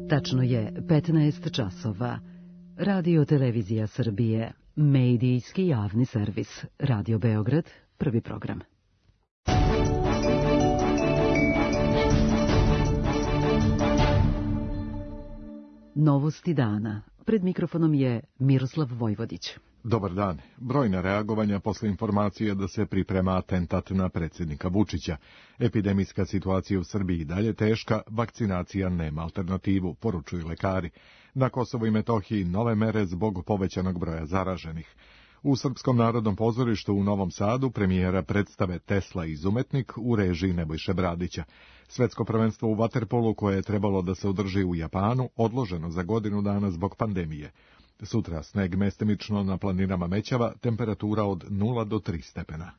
Tačno je 15 časova. Radio Televizija Srbije, medijski javni servis. Radio Beograd, prvi program. Novosti dana. Pred mikrofonom je Miroslav Vojvodić. Dobar dan. Brojna reagovanja posle informacije da se priprema atentat na predsjednika Vučića. Epidemijska situacija u Srbiji i dalje teška, vakcinacija nema alternativu, poručuju lekari. Na Kosovu i Metohiji nove mere zbog povećanog broja zaraženih. U Srpskom narodnom pozorištu u Novom Sadu premijera predstave Tesla izumetnik u režiji Nebojše Bradića. Svetsko prvenstvo u vaterpolu koje je trebalo da se održi u Japanu odloženo za godinu dana zbog pandemije. Sutra sneg mestimično na planinama Mećava, temperatura od 0 do 3 stepena.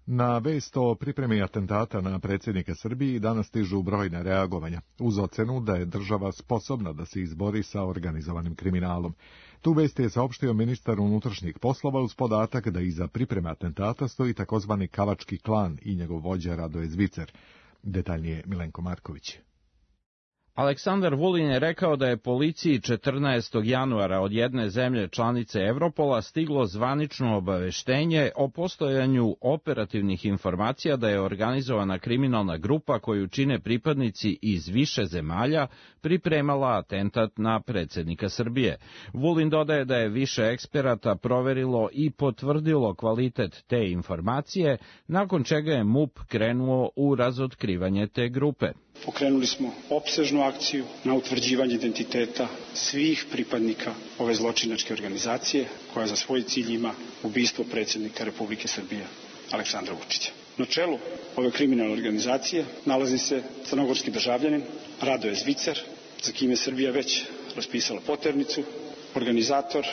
Na vest o pripremi atentata na predsjednika Srbije danas stižu brojne reagovanja, uz ocenu da je država sposobna da se izbori sa organizovanim kriminalom. Tu vest je saopštio ministar unutrašnjih poslova uz podatak da iza pripreme atentata stoji takozvani Kavački klan i njegov vođa Radoje Zvicer. Detaljnije Milenko Marković. Aleksandar Vulin je rekao da je policiji 14. januara od jedne zemlje članice Evropola stiglo zvanično obaveštenje o postojanju operativnih informacija da je organizovana kriminalna grupa koju čine pripadnici iz više zemalja pripremala atentat na predsjednika Srbije. Vulin dodaje da je više eksperata proverilo i potvrdilo kvalitet te informacije, nakon čega je MUP krenuo u razotkrivanje te grupe. Pokrenuli smo opsežnu akciju na utvrđivanje identiteta svih pripadnika ove zločinačke organizacije koja za svoj cilj ima ubistvo predsjednika Republike Srbije Aleksandra Vučića. Na čelu ove kriminalne organizacije nalazi se crnogorski državljanin Radoje Zvicer, za kim je Srbija već raspisala poternicu, organizator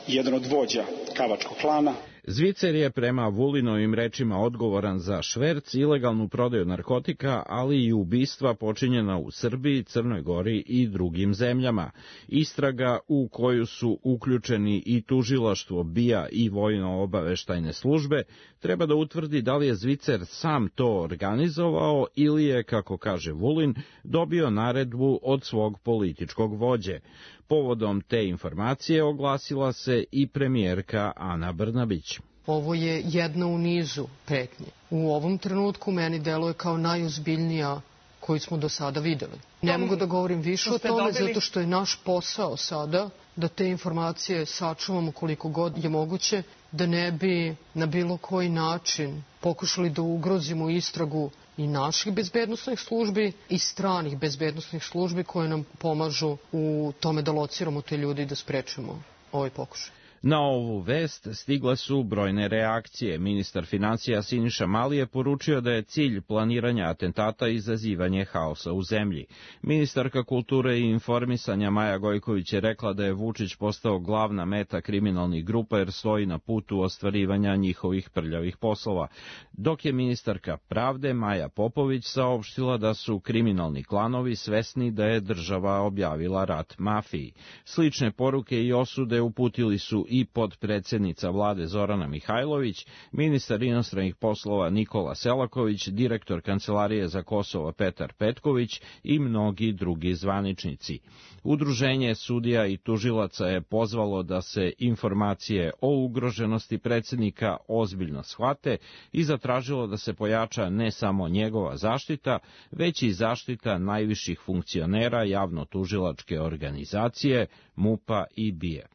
i jedan od vođa Kavačkog klana. Zvicer je prema Vulinovim rečima odgovoran za šverc, ilegalnu prodaju narkotika, ali i ubistva počinjena u Srbiji, Crnoj Gori i drugim zemljama. Istraga u koju su uključeni i tužilaštvo BIA i vojno-obaveštajne službe treba da utvrdi da li je Zvicer sam to organizovao ili je, kako kaže Vulin, dobio naredbu od svog političkog vođe. Povodom te informacije oglasila se i premijerka Ana Brnabić. Ovo je jedna u nizu pretnje. U ovom trenutku meni deluje kao najozbiljnija koju smo do sada videli. Ne mogu da govorim više o tome zato što je naš posao sada da te informacije sačuvamo koliko god je moguće, da ne bi na bilo koji način pokušali da ugrozimo istragu i naših bezbednosnih službi i stranih bezbednosnih službi koje nam pomažu u tome da lociramo te ljudi i da sprečimo ovaj pokušaj. Na ovu vest stigle su brojne reakcije. Ministar finansija Siniša Mali je poručio da je cilj planiranja atentata izazivanje haosa u zemlji. Ministarka kulture i informisanja Maja Gojković je rekla da je Vučić postao glavna meta kriminalnih grupa jer stoji na putu ostvarivanja njihovih prljavih poslova. Dok je ministarka pravde Maja Popović saopštila da su kriminalni klanovi svesni da je država objavila rat mafiji. Slične poruke i osude uputili su i podpredsjednica vlade Zorana Mihajlović, ministar inostranih poslova Nikola Selaković, direktor Kancelarije za Kosovo Petar Petković i mnogi drugi zvaničnici. Udruženje sudija i tužilaca je pozvalo da se informacije o ugroženosti predsjednika ozbiljno shvate i zatražilo da se pojača ne samo njegova zaštita, već i zaštita najviših funkcionera javno-tužilačke organizacije, MUP-a i BIA.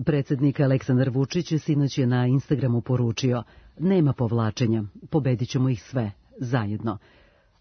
Predsjednik Aleksandar Vučić sinoć je na Instagramu poručio: nema povlačenja, pobedit ćemo ih sve, zajedno.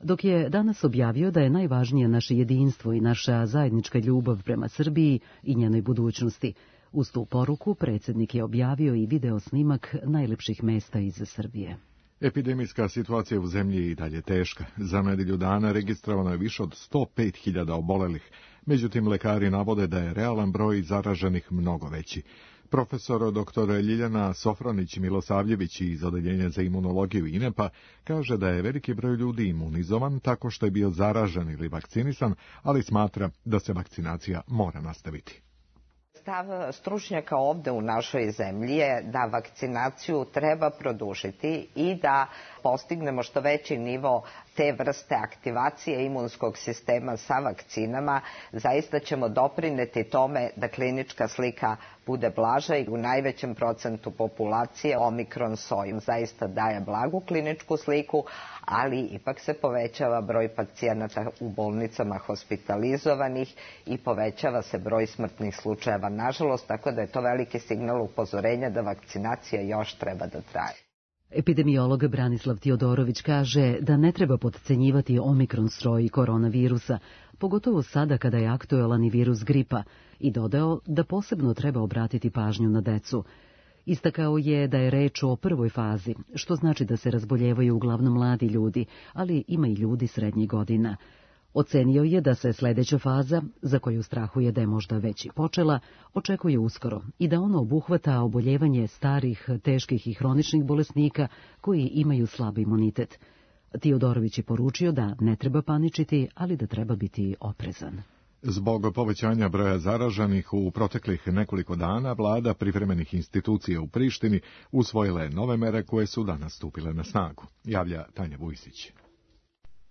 Dok je danas objavio da je najvažnije naše jedinstvo i naša zajednička ljubav prema Srbiji i njenoj budućnosti. Uz tu poruku predsjednik je objavio i video snimak najlepših mesta iz Srbije. Epidemijska situacija u zemlji je i dalje teška. Za nedelju dana registrovano je više od 105.000 obolelih. Međutim, lekari navode da je realan broj zaraženih mnogo veći. Profesor dr. Ljiljana Sofronić-Milosavljević iz Odeljenja za imunologiju INEP-a kaže da je veliki broj ljudi imunizovan tako što je bio zaražen ili vakcinisan, ali smatra da se vakcinacija mora nastaviti. Stav stručnjaka ovde u našoj zemlji je da vakcinaciju treba produžiti i da postignemo što veći nivo te vrste aktivacije imunskog sistema sa vakcinama, zaista ćemo doprineti tome da klinička slika bude blaža i u najvećem procentu populacije omikron soj zaista daje blagu kliničku sliku, ali ipak se povećava broj pacijenata u bolnicama hospitalizovanih i povećava se broj smrtnih slučajeva, nažalost, tako da je to veliki signal upozorenja da vakcinacija još treba da traje. Epidemiolog Branislav Tiodorović kaže da ne treba potcenjivati omikron stroj koronavirusa, pogotovo sada kada je aktuelan i virus gripa, i dodao da posebno treba obratiti pažnju na decu. Istakao je da je reč o prvoj fazi, što znači da se razboljevaju uglavnom mladi ljudi, ali ima i ljudi srednjih godina. Ocenio je da se sledeća faza, za koju strahuje da je možda već i počela, očekuje uskoro i da ono obuhvata oboljevanje starih, teških i hroničnih bolesnika koji imaju slab imunitet. Tiodorović je poručio da ne treba paničiti, ali da treba biti oprezan. Zbog povećanja broja zaraženih u proteklih nekoliko dana, vlada privremenih institucija u Prištini usvojila je nove mere koje su danas stupile na snagu, javlja Tanja Vujsić.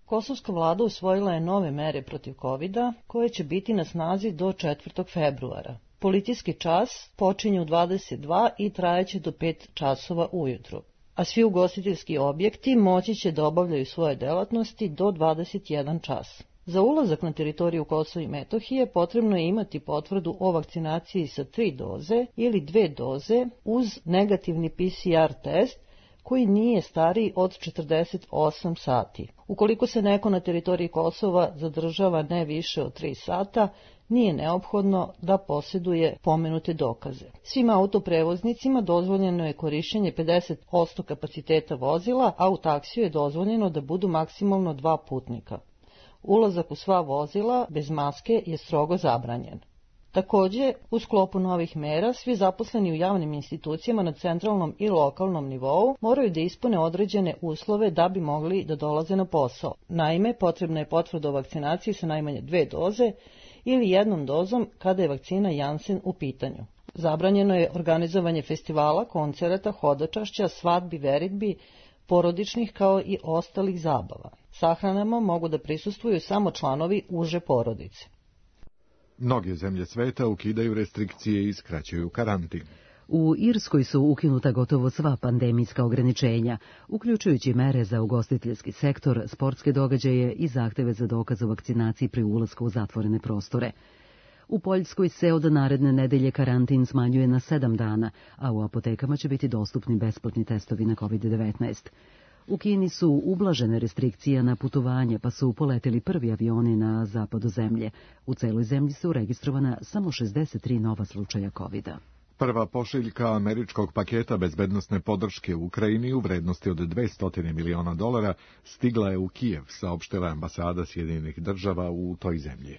Kosovska vlada usvojila je nove mere protiv COVID-a koje će biti na snazi do 4. februara. Policijski čas počinje u 22 i trajeće do 5 časova ujutru, a svi ugostiteljski objekti moći će da obavljaju svoje delatnosti do 21 čas. Za ulazak na teritoriju Kosova i Metohije potrebno je imati potvrdu o vakcinaciji sa 3 doze ili 2 doze uz negativni PCR test koji nije stariji od 48 sati. Ukoliko se neko na teritoriji Kosova zadržava ne više od 3 sata, nije neophodno da posjeduje pomenute dokaze. Svim autoprevoznicima dozvoljeno je korišćenje 50% kapaciteta vozila, a u taksiju je dozvoljeno da budu maksimalno 2 putnika. Ulazak u sva vozila bez maske je strogo zabranjen. Takođe, u sklopu novih mera, svi zaposleni u javnim institucijama na centralnom i lokalnom nivou moraju da ispune određene uslove da bi mogli da dolaze na posao. Naime, potrebna je potvrda o vakcinaciji sa najmanje 2 doze ili 1 dozom kada je vakcina Janssen u pitanju. Zabranjeno je organizovanje festivala, koncerata, hodočašća, svadbi, veritbi, porodičnih kao i ostalih zabava. Sahranama mogu da prisustvuju samo članovi uže porodice. Mnoge zemlje sveta ukidaju restrikcije i skraćuju karantin. U Irskoj su ukinuta gotovo sva pandemijska ograničenja, uključujući mere za ugostiteljski sektor, sportske događaje i zahteve za dokaz o vakcinaciji pri ulasku u zatvorene prostore. U Poljskoj se od naredne nedelje karantin smanjuje na 7 dana, a u apotekama će biti dostupni besplatni testovi na COVID-19. U Kini su ublažene restrikcije na putovanje, pa su poleteli prvi avioni na zapadu zemlje. U celoj zemlji su registrovana samo 63 nova slučaja COVID-a. Prva pošiljka američkog paketa bezbednosne podrške u Ukrajini u vrednosti od $200 miliona stigla je u Kijev, saopštila ambasada Sjedinjenih država u toj zemlji.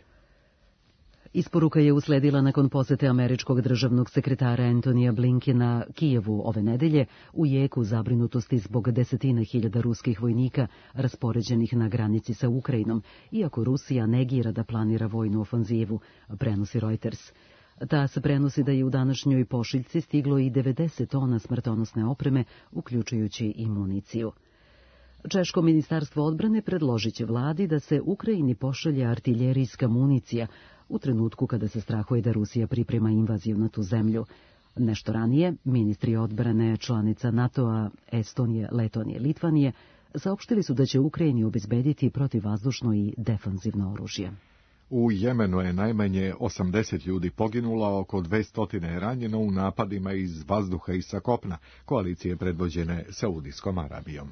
Isporuka je usledila nakon posete američkog državnog sekretara Antonija Blinkena Kijevu ove nedelje u jeku zabrinutosti zbog desetina hiljada ruskih vojnika raspoređenih na granici sa Ukrajinom, iako Rusija negira da planira vojnu ofanzivu, prenosi Reuters. Ta se prenosi da je u današnjoj pošiljci stiglo i 90 tona smrtonosne opreme, uključujući i municiju. Češko ministarstvo odbrane predložit će vladi da se Ukrajini pošalje artiljerijska municija u trenutku kada se strahuje da Rusija priprema invaziju na tu zemlju. Nešto ranije, ministri odbrane članica NATO-a Estonije, Letonije, Litvanije saopštili su da će Ukrajini obezbediti protivvazdušno i defanzivno oružje. U Jemenu je najmanje 80 ljudi poginulo, oko 200 je ranjeno u napadima iz vazduha i sa kopna, koalicije predvođene Saudijskom Arabijom.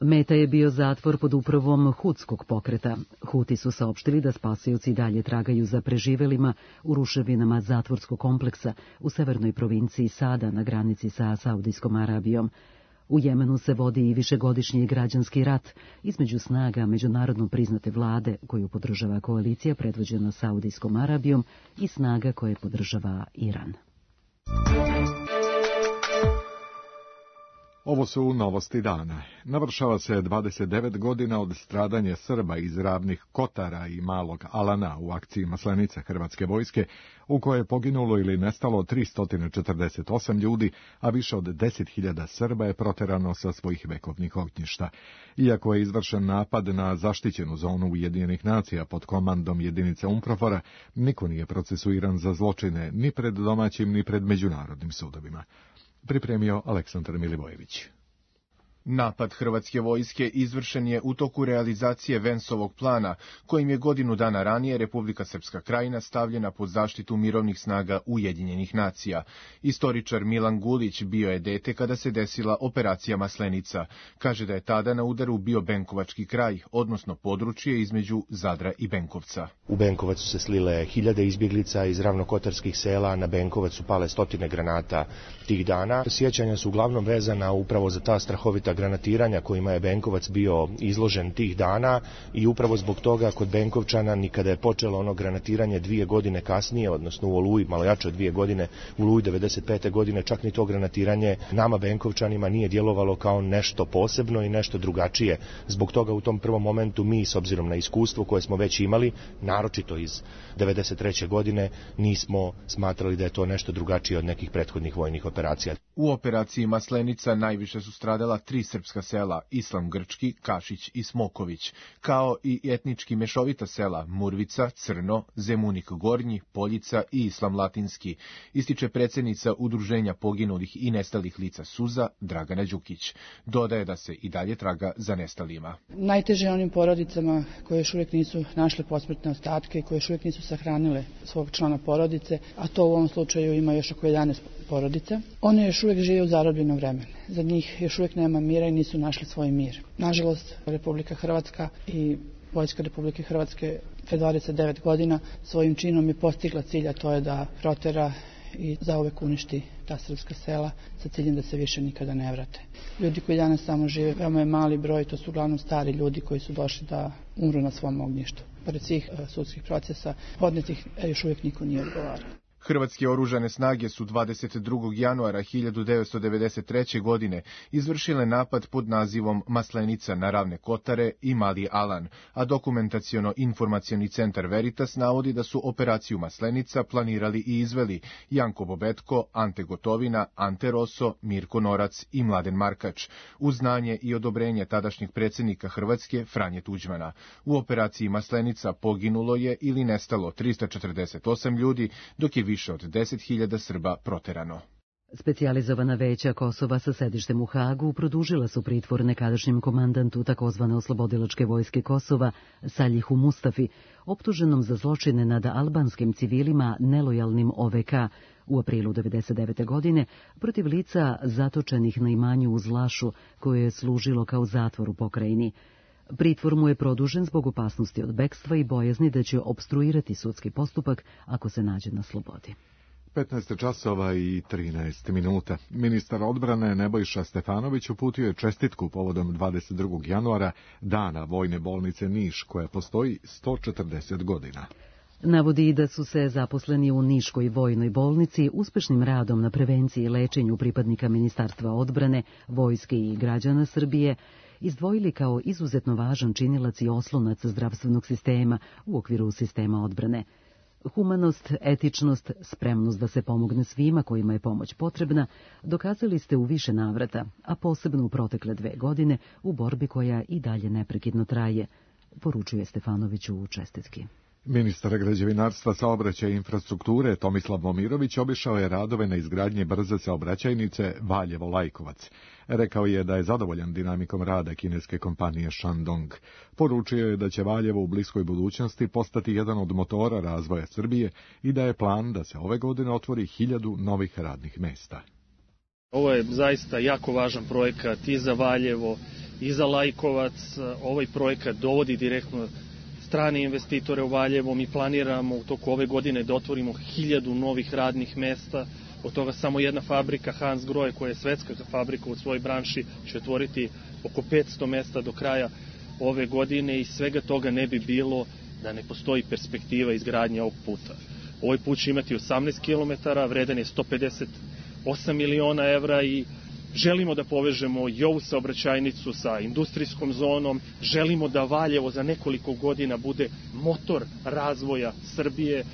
Meta je bio zatvor pod upravom hutskog pokreta. Huti su saopštili da spasioci dalje tragaju za preživelima u ruševinama zatvorskog kompleksa u severnoj provinciji Sada na granici sa Saudijskom Arabijom. U Jemenu se vodi i višegodišnji građanski rat između snaga međunarodno priznate vlade koju podržava koalicija predvođena Saudijskom Arabijom i snaga koje podržava Iran. Ovo su novosti dana. Navršava se 29 godina od stradanja Srba iz Ravnih Kotara i Malog Alana u akciji Maslenica Hrvatske vojske, u kojoj je poginulo ili nestalo 348 ljudi, a više od 10.000 Srba je proterano sa svojih vekovnih ognjišta. Iako je izvršen napad na zaštićenu zonu Ujedinjenih nacija pod komandom jedinice UNPROFOR-a, niko nije procesuiran za zločine ni pred domaćim ni pred međunarodnim sudovima. Pripremio Aleksandar Milivojević. Napad Hrvatske vojske izvršen je u toku realizacije Vensovog plana, kojim je godinu dana ranije Republika Srpska Krajina stavljena pod zaštitu mirovnih snaga Ujedinjenih nacija. Istoričar Milan Gulić bio je dete kada se desila operacija Maslenica. Kaže da je tada na udaru bio Benkovački kraj, odnosno područje između Zadra i Benkovca. U Benkovac su se slile hiljade izbjeglica iz ravnokotarskih sela, na Benkovac su pale stotine granata tih dana. Sjećanja su uglavnom vezana upravo za ta strahovita granatiranja kojima je Benkovac bio izložen tih dana i upravo zbog toga kod Benkovčana nikada je počelo ono granatiranje 2 godine kasnije, odnosno u Oluji, malo jače od 2 godine, u Oluji 95. godine, čak ni to granatiranje nama Benkovčanima nije djelovalo kao nešto posebno i nešto drugačije. Zbog toga u tom prvom momentu mi, s obzirom na iskustvo koje smo već imali, naročito iz 93. godine, nismo smatrali da je to nešto drugačije od nekih prethodnih vojnih operacija. U operaciji Maslenica najviše su stradala 3 srpska sela, Islam Grčki, Kašić i Smoković, kao i etnički mešovita sela Murvica, Crno, Zemunik Gornji, Poljica i Islam Latinski, ističe predsjednica Udruženja poginulih i nestalih lica Suza, Dragana Đukić. Dodaje da se i dalje traga za nestalima. Najteže onim porodicama koje još uvijek nisu našle posmrtne ostatke, koje još uvijek nisu sahranile svog člana porodice, a to u ovom slučaju ima još oko 11 porodica. One još uvijek žive u zarobljenom vremenu. Za njih još uvijek nema mira i nisu našli svoj mir. Nažalost, Republika Hrvatska i Vojska Republike Hrvatske pre 29 godina svojim činom je postigla cilj, a to je da protera i zauvek uništi ta srpska sela sa ciljem da se više nikada ne vrate. Ljudi koji danas tamo žive, veoma je mali broj, to su uglavnom stari ljudi koji su došli da umru na svom ognjištu. Pored svih sudskih procesa podnetih još uvijek niko nije odgovarao. Hrvatske oružane snage su 22. januara 1993. godine izvršile napad pod nazivom Maslenica na Ravne Kotare i Mali Alan, a dokumentaciono-informacioni centar Veritas navodi da su operaciju Maslenica planirali i izveli Janko Bobetko, Ante Gotovina, Ante Roso, Mirko Norac i Mladen Markač, uz znanje i odobrenje tadašnjeg predsjednika Hrvatske Franje Tuđmana. U operaciji Maslenica poginulo je ili nestalo 348 ljudi, dok je više od 10.000 Srba proterano. Specijalizovana veća Kosova sa sedištem u Hagu produžila su pritvor nekadašnjem komandantu takozvane oslobodilačke vojske Kosova Saljihu Mustafi, optuženom za zločine nad albanskim civilima nelojalnim OVK u aprilu 1999. godine protiv lica zatočenih na imanju uz Lašu, koje je služilo kao zatvor u pokrajini. Pritvor mu je produžen zbog opasnosti od bekstva i bojazni da će opstruirati sudski postupak ako se nađe na slobodi. 15 časova i 13 minuta. Ministar odbrane Nebojša Stefanović uputio je čestitku povodom 22. januara, dana vojne bolnice Niš, koja postoji 140 godina. Navodi da su se zaposleni u Niškoj vojnoj bolnici uspešnim radom na prevenciji i lečenju pripadnika Ministarstva odbrane, vojske i građana Srbije izdvojili kao izuzetno važan činilac i oslonac zdravstvenog sistema u okviru sistema odbrane. Humanost, etičnost, spremnost da se pomogne svima kojima je pomoć potrebna, dokazali ste u više navrata, a posebno u protekle 2 godine u borbi koja i dalje neprekidno traje, poručuje Stefanoviću u čestitki. Ministar građevinarstva, saobraćaja i infrastrukture Tomislav Momirović obišao je radove na izgradnji brze saobraćajnice Valjevo-Lajkovac. Rekao je da je zadovoljan dinamikom rada kineske kompanije Shandong. Poručio je da će Valjevo u bliskoj budućnosti postati jedan od motora razvoja Srbije i da je plan da se ove godine otvori 1000 novih radnih mesta. Ovo je zaista jako važan projekat i za Valjevo i za Lajkovac. Ovaj projekat dovodi direktno strane investitore u Valjevo. Mi planiramo u toku ove godine da otvorimo 1000 novih radnih mesta. Od toga samo jedna fabrika, Hansgrohe, koja je svetska fabrika u svojoj branši, će otvoriti oko 500 mesta do kraja ove godine i svega toga ne bi bilo da ne postoji perspektiva izgradnje ovog puta. Ovaj put će imati 18 km, vredan je 158 miliona evra i Želimo da povežemo i ovu saobraćajnicu sa industrijskom zonom, želimo da Valjevo za nekoliko godina bude motor razvoja Srbije.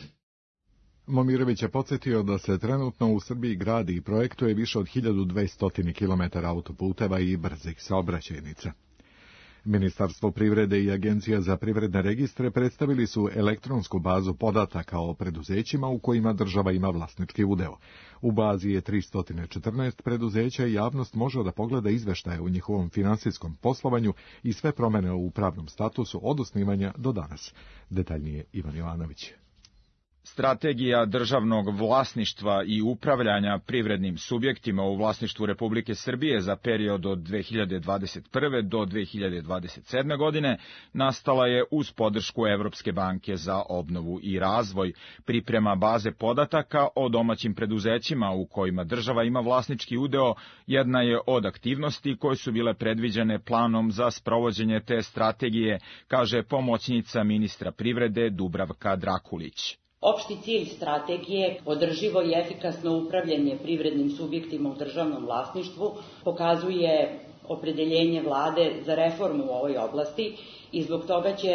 Momirović je podsjetio da se trenutno u Srbiji gradi i projektuje više od 1200 km autoputeva i brzih saobraćajnica. Ministarstvo privrede i Agencija za privredne registre predstavili su elektronsku bazu podataka o preduzećima u kojima država ima vlasnički udeo. U bazi je 314 preduzeća i javnost može da pogleda izveštaje o njihovom finansijskom poslovanju i sve promene u pravnom statusu od osnivanja do danas. Detaljnije Ivan Jovanović. Strategija državnog vlasništva i upravljanja privrednim subjektima u vlasništvu Republike Srbije za period od 2021. do 2027. godine nastala je uz podršku Evropske banke za obnovu i razvoj, priprema baze podataka o domaćim preduzećima u kojima država ima vlasnički udeo, jedna je od aktivnosti koje su bile predviđene planom za sprovođenje te strategije, kaže pomoćnica ministra privrede Dubravka Drakulić. Opšti cilj strategije, održivo i efikasno upravljanje privrednim subjektima u državnom vlasništvu, pokazuje opredeljenje vlade za reformu u ovoj oblasti i zbog toga će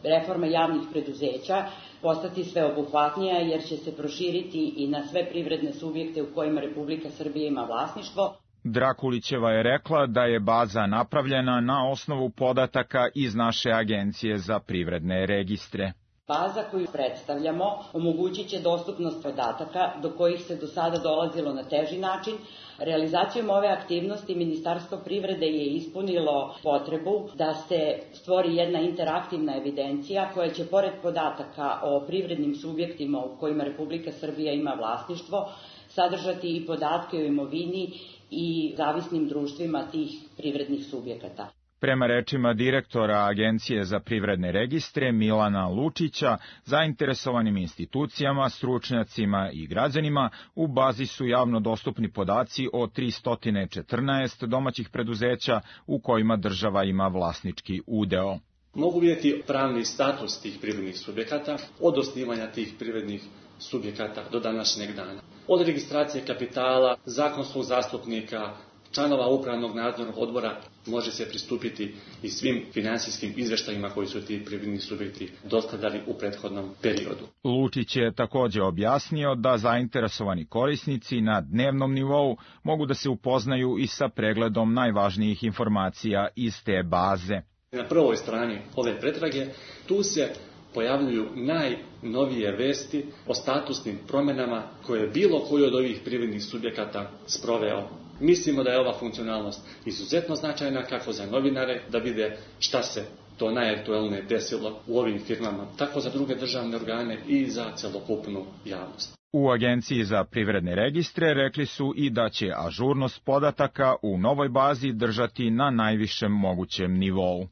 reforma javnih preduzeća postati sveobuhvatnija jer će se proširiti i na sve privredne subjekte u kojima Republika Srbija ima vlasništvo. Drakulićeva je rekla da je baza napravljena na osnovu podataka iz naše Agencije za privredne registre. Baza koju predstavljamo omogućit će dostupnost podataka do kojih se do sada dolazilo na teži način. Realizacijom ove aktivnosti Ministarstvo privrede je ispunilo potrebu da se stvori jedna interaktivna evidencija koja će pored podataka o privrednim subjektima u kojima Republika Srbija ima vlasništvo sadržati i podatke o imovini i zavisnim društvima tih privrednih subjekata. Prema rečima direktora Agencije za privredne registre Milana Lučića, zainteresovanim institucijama, stručnjacima i građanima u bazi su javno dostupni podaci o 314 domaćih preduzeća u kojima država ima vlasnički udeo. Mogu vidjeti pravni status tih privrednih subjekata od osnivanja tih privrednih subjekata do današnjeg dana. Od registracije kapitala, zakonskog zastupnika, članova upravnog nadzornog odbora može se pristupiti i svim finansijskim izveštajima koji su ti privredni subjekti dostavljali u prethodnom periodu. Lučić je također objasnio da zainteresovani korisnici na dnevnom nivou mogu da se upoznaju i sa pregledom najvažnijih informacija iz te baze. Na prvoj strani ove pretrage tu se pojavljuju najnovije vesti o statusnim promjenama koje je bilo koji od ovih privrednih subjekata sproveo. Mislimo da je ova funkcionalnost izuzetno značajna kako za novinare da vide šta se to najaktuelnije desilo u ovim firmama, tako za druge državne organe i za celokupnu javnost. U Agenciji za privredne registre rekli su i da će ažurnost podataka u novoj bazi držati na najvišem mogućem nivou.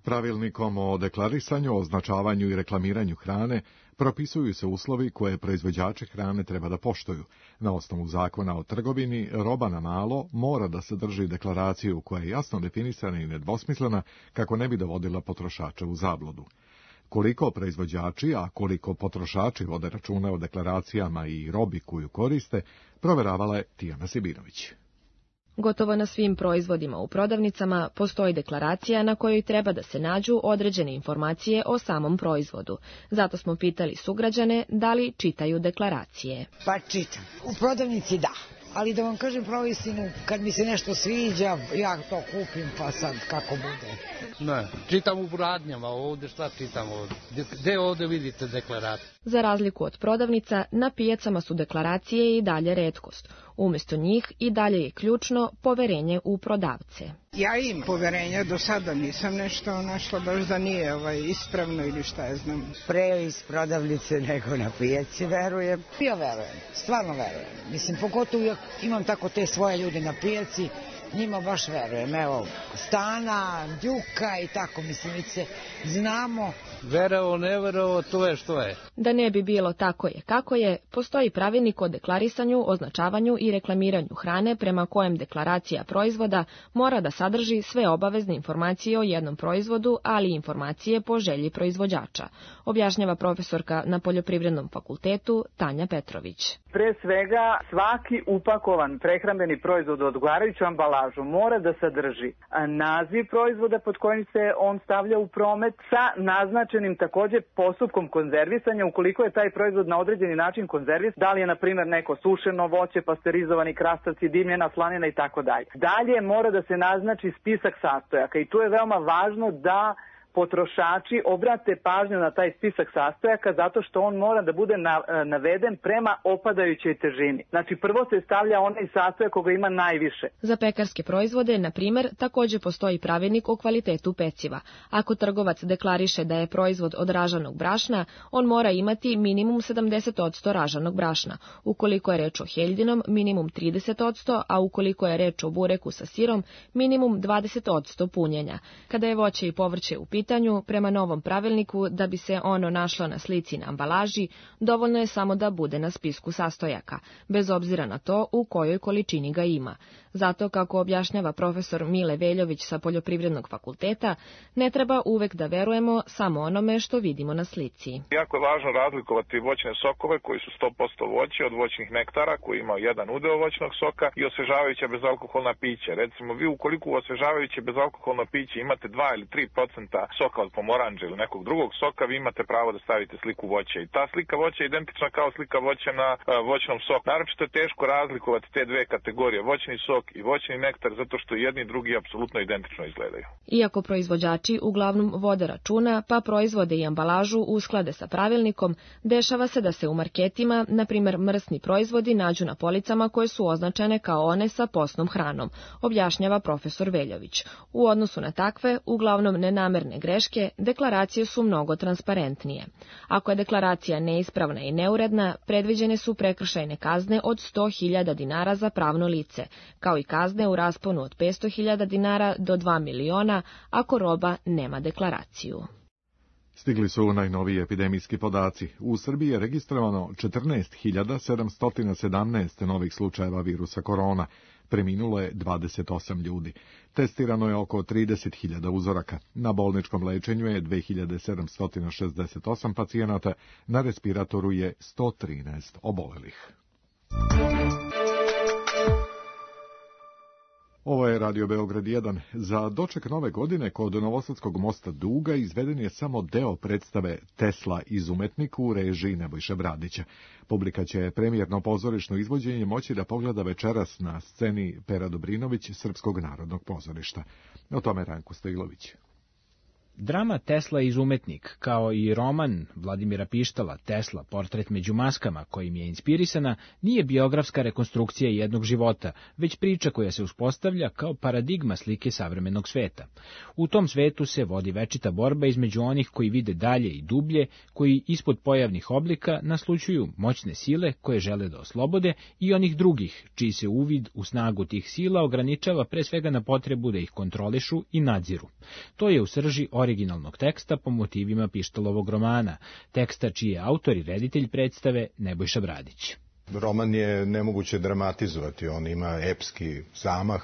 Pravilnikom o deklarisanju, označavanju i reklamiranju hrane propisuju se uslovi koje proizvođači hrane treba da poštuju. Na osnovu zakona o trgovini, roba na malo mora da sadrži deklaraciju koja je jasno definisana i nedvosmislena kako ne bi dovodila potrošače u zabludu. Koliko proizvođači, a koliko potrošači vode računa o deklaracijama i robi koju koriste, proveravala je Tijana Sibirović. Gotovo na svim proizvodima u prodavnicama postoji deklaracija na kojoj treba da se nađu određene informacije o samom proizvodu. Zato smo pitali sugrađane da li čitaju deklaracije. Pa čitam. U prodavnici da. Ali da vam kažem pravo istinu, kad mi se nešto sviđa, ja to kupim pa sad kako bude. Ne, čitam u radnjama, ovdje šta čitam ovdje? Gde ovdje vidite deklaraciju? Za razliku od prodavnica, na pijacama su deklaracije i dalje retkost. Umjesto njih i dalje je ključno poverenje u prodavce. Ja imam poverenja, do sada nisam nešto našla baš da nije ispravno ili šta ja znam. Pre iz prodavnice nego na pijaci verujem. Ja verujem, stvarno verujem. Mislim, pogotovo imam tako te svoje ljude na pijaci njima baš verujem. Evo, Stana, Đuka i tako, mislim, mi se znamo. Verovo, ne verovo, to je što je. Da ne bi bilo tako je kako je, postoji pravilnik o deklarisanju, označavanju i reklamiranju hrane prema kojem deklaracija proizvoda mora da sadrži sve obavezne informacije o jednom proizvodu, ali i informacije po želji proizvođača, objašnjava profesorka na Poljoprivrednom fakultetu Tanja Petrović. Pre svega, svaki upakovan prehrambeni proizvod u odgovarajuću ambalažu mora da sadrži naziv proizvoda pod kojim se on stavlja u promet sa naznačenim takođe postupkom konzervisanja ukoliko je taj proizvod na određeni način konzervisan, da li je na primjer neko sušeno voće, pasterizovani krastavci, dimljena slanina i tako dalje. Dalje mora da se naznači spisak sastojaka i tu je veoma važno da potrošači obrate pažnju na taj spisak sastojaka zato što on mora da bude naveden prema opadajućoj težini. Znači prvo se stavlja onaj sastojak koga ima najviše. Za pekarske proizvode, na primjer, takođe postoji pravilnik o kvalitetu peciva. Ako trgovac deklariše da je proizvod od ražanog brašna, on mora imati minimum 70% ražanog brašna. Ukoliko je reč o heljdinom, minimum 30%, a ukoliko je reč o bureku sa sirom, minimum 20% punjenja. Kada je voće i povrće u pitanju, prema novom pravilniku, da bi se ono našlo na slici na ambalaži, dovoljno je samo da bude na spisku sastojaka, bez obzira na to u kojoj količini ga ima. Zato, kako objašnjava profesor Mile Veljović sa Poljoprivrednog fakulteta, ne treba uvek da verujemo samo onome što vidimo na slici. Jako je važno razlikovati voćne sokove koji su 100% voće od voćnih nektara koji imaju jedan udeo voćnog soka i osvežavajuća bezalkoholna pića. Recimo, vi ukoliko u osvežavajuće bezalkoholno piće imate 2 ili 3% soka od pomoranđa ili nekog drugog soka, vi imate pravo da stavite sliku voća. I ta slika voća je identična kao slika voća na voćnom soku. Naročito je teško razlikovati te dve kategorije, voćni sok i voćni nektar, zato što jedni i drugi apsolutno identično izgledaju. Iako proizvođači uglavnom vode računa, pa proizvode i ambalažu usklade sa pravilnikom, dešava se da se u marketima, na primjer mrsni proizvodi, nađu na policama koje su označene kao one sa postnom hranom, objašnjava profesor Veljović. U odnosu na takve, uglavnom nenamerne greške, deklaracije su mnogo transparentnije. Ako je deklaracija neispravna i neuredna, predviđene su prekršajne kazne od 100.000 dinara za pravno lice, kao i kazne u rasponu od 500.000 dinara do 2 miliona ako roba nema deklaraciju. Stigli su najnoviji epidemijski podaci. U Srbiji je registrovano 14.717 novih slučajeva virusa korona. Preminulo je 28 ljudi. Testirano je oko 30.000 uzoraka. Na bolničkom lečenju je 2.768 pacijenata, na respiratoru je 113 obolelih. Ovo je Radio Beograd 1. Za doček nove godine kod Novosadskog mosta Duga izveden je samo deo predstave Tesla izumetnik u režiji Nebojše Bradića. Publika će premijerno pozorišno izvođenje moći da pogleda večeras na sceni Pera Dobrinović Srpskog narodnog pozorišta. O tome Ranko Stojlović. Drama Tesla izumetnik, kao i roman Vladimira Pištala Tesla, portret među maskama, kojim je inspirisana, nije biografska rekonstrukcija jednog života, već priča koja se uspostavlja kao paradigma slike savremenog sveta. U tom svetu se vodi večita borba između onih koji vide dalje i dublje, koji ispod pojavnih oblika naslućuju moćne sile koje žele da oslobode, i onih drugih, čiji se uvid u snagu tih sila ograničava pre svega na potrebu da ih kontrolišu i nadziru. To je u srži originalnog teksta po motivima Pištalovog romana, teksta čiji je autor i reditelj predstave Nebojša Bradić. Roman je nemoguće dramatizovati, on ima epski zamah,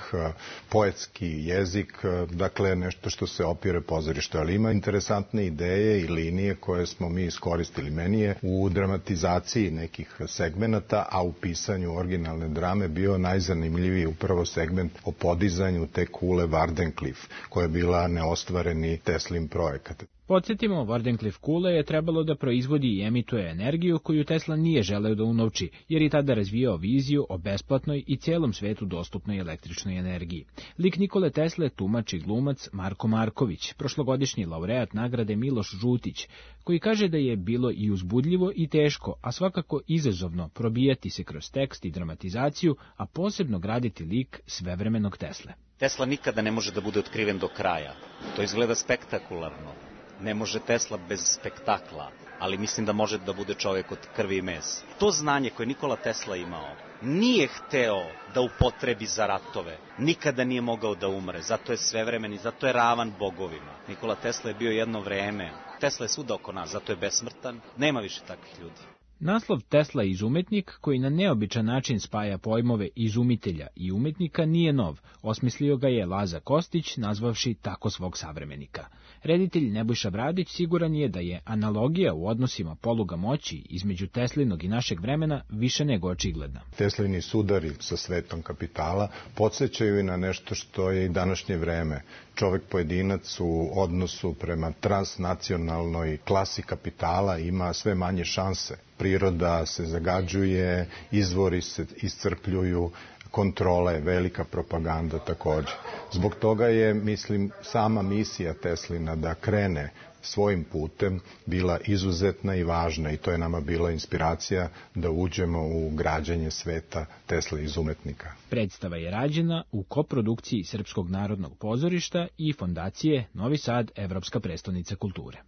poetski jezik, dakle nešto što se opire pozorištu, ali ima interesantne ideje i linije koje smo mi iskoristili. Meni je u dramatizaciji nekih segmenata, a u pisanju originalne drame bio najzanimljiviji upravo segment o podizanju te kule Wardenclyffe, koja je bila neostvareni Teslin projekat. Podsjetimo, Wardenclyffe kula je trebalo da proizvodi i emituje energiju koju Tesla nije želeo da unovči, jer je tada razvijao viziju o besplatnoj i cijelom svetu dostupnoj električnoj energiji. Lik Nikole Tesle tumači glumac Marko Marković, prošlogodišnji laureat nagrade Miloš Žutić, koji kaže da je bilo i uzbudljivo i teško, a svakako izazovno probijati se kroz tekst i dramatizaciju, a posebno graditi lik svevremenog Tesle. Tesla nikada ne može da bude otkriven do kraja. To izgleda spektakularno. Ne može Tesla bez spektakla, ali mislim da može da bude čovjek od krvi i mesa. To znanje koje Nikola Tesla imao nije hteo da upotrebi za ratove, nikada nije mogao da umre, zato je svevremen i zato je ravan bogovima. Nikola Tesla je bio jedno vreme, Tesla je svuda oko nas, zato je besmrtan, nema više takvih ljudi. Naslov Tesla izumetnik, koji na neobičan način spaja pojmove izumitelja i umetnika, nije nov. Osmislio ga je Laza Kostić, nazvavši tako svog savremenika. Reditelj Nebojša Bradić siguran je da je analogija u odnosima poluga moći između Teslinog i našeg vremena više nego očigledna. Teslini sudari sa svetom kapitala podsjećaju i na nešto što je i današnje vreme. Čovek pojedinac u odnosu prema transnacionalnoj klasi kapitala ima sve manje šanse. Priroda se zagađuje, izvori se iscrpljuju, kontrole, velika propaganda takođe. Zbog toga je, mislim, sama misija Teslina da krene svojim putem bila izuzetna i važna i to je nama bila inspiracija da uđemo u građenje sveta Tesla izumetnika. Predstava je rađena u koprodukciji Srpskog narodnog pozorišta i fondacije Novi Sad, Evropska prestonica kulture.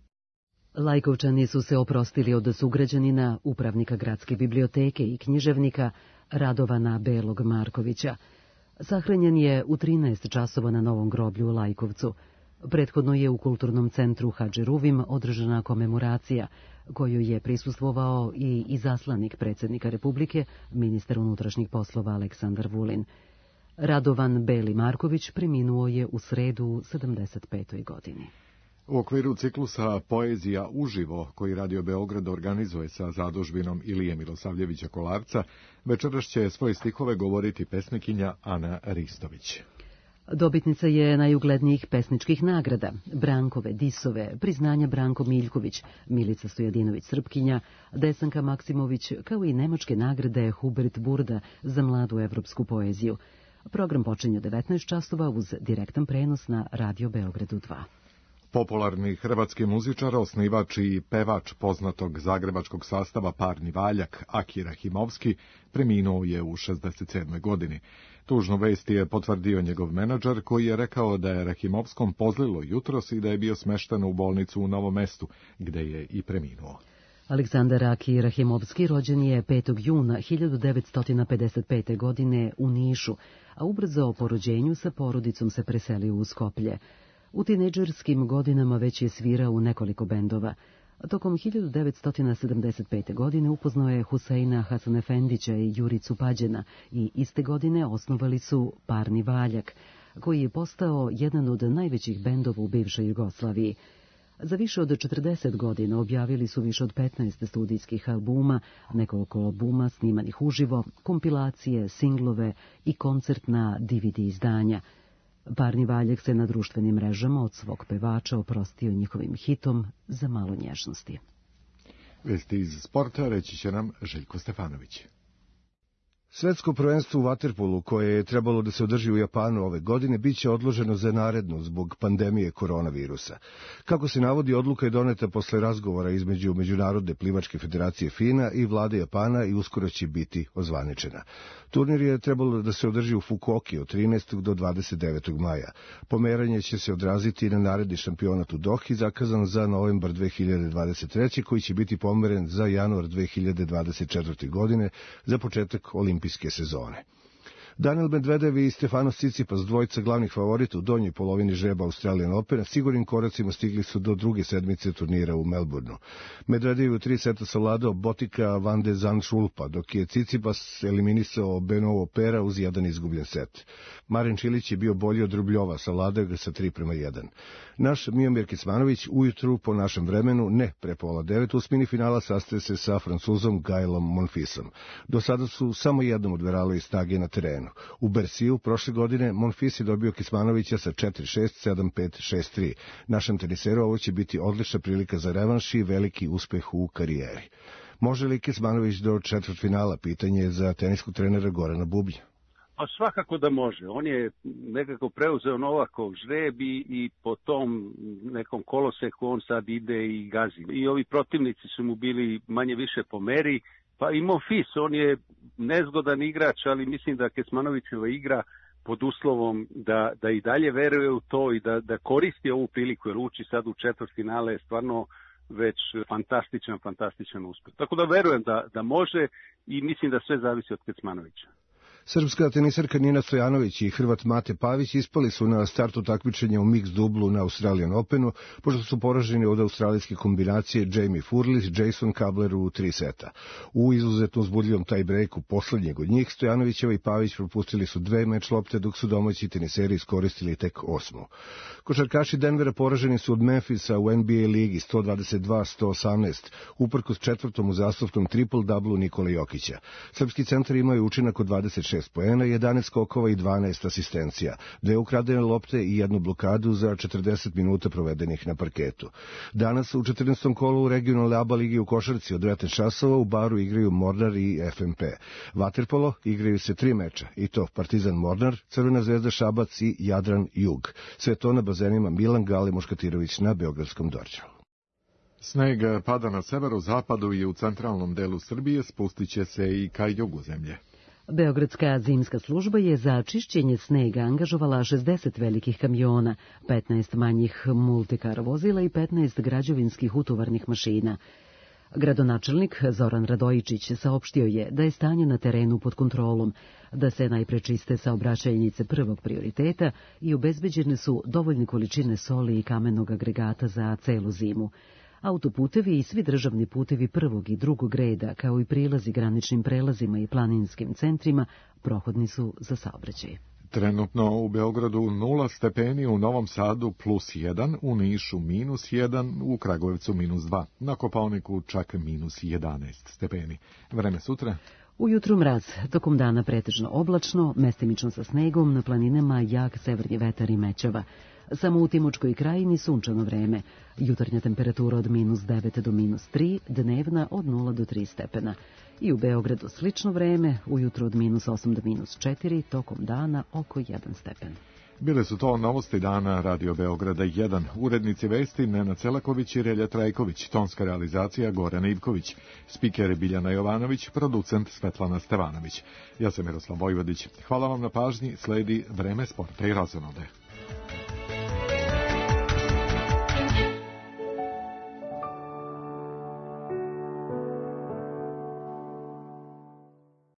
Lajkovčani su se oprostili od sugrađanina, upravnika gradske biblioteke i književnika Radovana Belog Markovića. Sahranjen je u 13 časova na Novom groblju u Lajkovcu. Prethodno je u kulturnom centru Hadži Ruvim održana komemoracija, koju je prisustvovao i izaslanik predsjednika Republike, ministar unutrašnjih poslova Aleksandar Vulin. Radovan Beli Marković preminuo je u sredu u 75. godini. U okviru ciklusa Poezija uživo, koji Radio Beograd organizuje sa zadužbinom Ilije Milosavljevića Kolarca, večeras će svoje stihove govoriti pesnikinja Ana Ristović. Dobitnica je najuglednijih pesničkih nagrada, Brankove, Disove, priznanja Branko Miljković, Milica Stojadinović Srpkinja, Desanka Maksimović, kao i nemačke nagrade Hubert Burda za mladu evropsku poeziju. Program počinje u 19 časova uz direktan prenos na Radio Beogradu 2. Popularni hrvatski muzičar, osnivač i pevač poznatog zagrebačkog sastava Parni Valjak, Aki Rahimovski, preminuo je u 67. godini. Tužnu vest je potvrdio njegov menadžer, koji je rekao da je Rahimovskom pozlilo jutros i da je bio smešten u bolnicu u Novom Mestu, gde je i preminuo. Aleksandar Aki Rahimovski rođen je 5. juna 1955. godine u Nišu, a ubrzo po rođenju sa porodicom se preselio u Skoplje. U tinejdžerskim godinama već je svirao u nekoliko bendova. Tokom 1975. godine upoznao je Huseina Hasanefendića i Juricu Pađena i iste godine osnovali su Parni Valjak, koji je postao jedan od najvećih bendova u bivšoj Jugoslaviji. Za više od 40 godina objavili su više od 15 studijskih albuma, nekoliko albuma snimanih uživo, kompilacije, singlove i koncertna DVD izdanja. Parni Valjak se na društvenim mrežama od svog pevača oprostio njihovim hitom Za malo nježnosti. Vesti iz sporta reći će nam Željko Stefanović. Svetsko prvenstvo u vaterpolu, koje je trebalo da se održi u Japanu ove godine, biće odloženo za narednu zbog pandemije koronavirusa. Kako se navodi, odluka je doneta posle razgovora između Međunarodne plivačke federacije FINA i vlade Japana i uskoro će biti ozvaničena. Turnir je trebalo da se održi u Fukuoki od 13. do 29. maja. Pomeranje će se odraziti na naredni šampionat u Dohi, zakazan za novembar 2023. koji će biti pomeren za januar 2024. godine za početak olimpijske sezone. Daniel Medvedev i Stefanos Tsitsipas, dvojica glavnih favorita u donjoj polovini žreba Australian Opena, sigurnim koracima stigli su do druge sedmice turnira u Melbourneu. Medvedev u 3 seta savladao Botika van de Zandschulpa, dok je Tsitsipas eliminisao Benovo Pera uz jedan izgubljen set. Marin Čilić je bio bolji od Rubljova, savladao ga sa 3:1. Naš Miomir Kecmanović ujutru po našem vremenu, ne pre 8:30, u osmini finala sastaje se sa Francuzom Gaelom Monfisom. Do sada su samo jednom odverali snage na terenu. U Bersiju prošle godine Monfils je dobio Kecmanovića sa 4:6, 7:5, 6:3. Našem teniseru ovo će biti odlična prilika za revanš i veliki uspeh u karijeri. Može li Kecmanović do četvrtfinala? Pitanje je za teniskog trenera Gorana Bublja. Pa svakako da može. On je nekako preuzeo Novakov žreb i po tom nekom koloseku on sad ide i gazi. I ovi protivnici su mu bili manje više po meri. Pa i Monfils, on je nezgodan igrač, ali mislim da Kecmanovićeva igra pod uslovom da i dalje veruje u to i da koristi ovu priliku, jer ući sad u četvrtfinale je stvarno već fantastičan uspeh. Tako da verujem da može i mislim da sve zavisi od Kecmanovića. Srpska tenisarka Nina Stojanović i Hrvat Mate Pavić ispali su na startu takmičenja u mix dublu na Australian Openu, pošto su poraženi od australijske kombinacije Jamie Furlis, Jason Kabler u 3 seta. U izuzetno uzbudljivom tie-breaku poslednjeg od njih, Stojanovićeva i Pavić propustili su 2 meč lopte, dok su domaći teniseri iskoristili tek 8. Košarkaši Denvera poraženi su od Memphisa u NBA ligi 122-118, uprkos četvrtom uzastopnom triple-dublu Nikole Jokića. Srpski centar imaju učinak od 26 poena, 11 skokova i 12 asistencija, 2 ukradene lopte i 1 blokadu za 40 minuta provedenih na parketu. Danas u 14. kolu u regionalne ABA ligi u košarci od 19 časova u Baru igraju Mornar i FNP. Vaterpolo igraju se 3 meča, i to Partizan Mornar, Crvena zvezda Šabac i Jadran Jug. Sve to na bazenima Milan Gale Muškatirović na Beogradskom Dorćolu. Sneg pada na severozapadu i u centralnom delu Srbije, spustit će se i ka jugu zemlje. Beogradska zimska služba je za čišćenje snega angažovala 60 velikih kamiona, 15 manjih multikar vozila i 15 građevinskih utovarnih mašina. Gradonačelnik Zoran Radojičić saopštio je da je stanje na terenu pod kontrolom, da se najpre čiste saobraćajnice prvog prioriteta i obezbeđene su dovoljne količine soli i kamenog agregata za celu zimu. Autoputevi i svi državni putevi prvog i drugog reda, kao i prilazi graničnim prelazima i planinskim centrima, prohodni su za saobraćaj. Trenutno u Beogradu 0 stepeni, u Novom Sadu +1, u Nišu -1, u Kragujevcu -2, na Kopaoniku čak -11 stepeni. Vreme sutra? Ujutru mraz, tokom dana pretežno oblačno, mestimično sa snegom, na planinama jak severni vetar i mećava. Samo u Timočkoj krajini sunčano vreme, jutarnja temperatura od -9 do -3, dnevna od 0 do 3 stepena. I u Beogradu slično vreme, ujutru od -8 do -4, tokom dana oko 1 stepen. Bile su to novosti dana Radio Beograda 1. Urednici vesti Nenad Selaković i Relja Trajković, tonska realizacija Goran Ivković, spiker Biljana Jovanović, producent Svetlana Stevanović. Ja sam Miroslav Vojvodić. Hvala vam na pažnji, sledi Vreme sporta i razonode.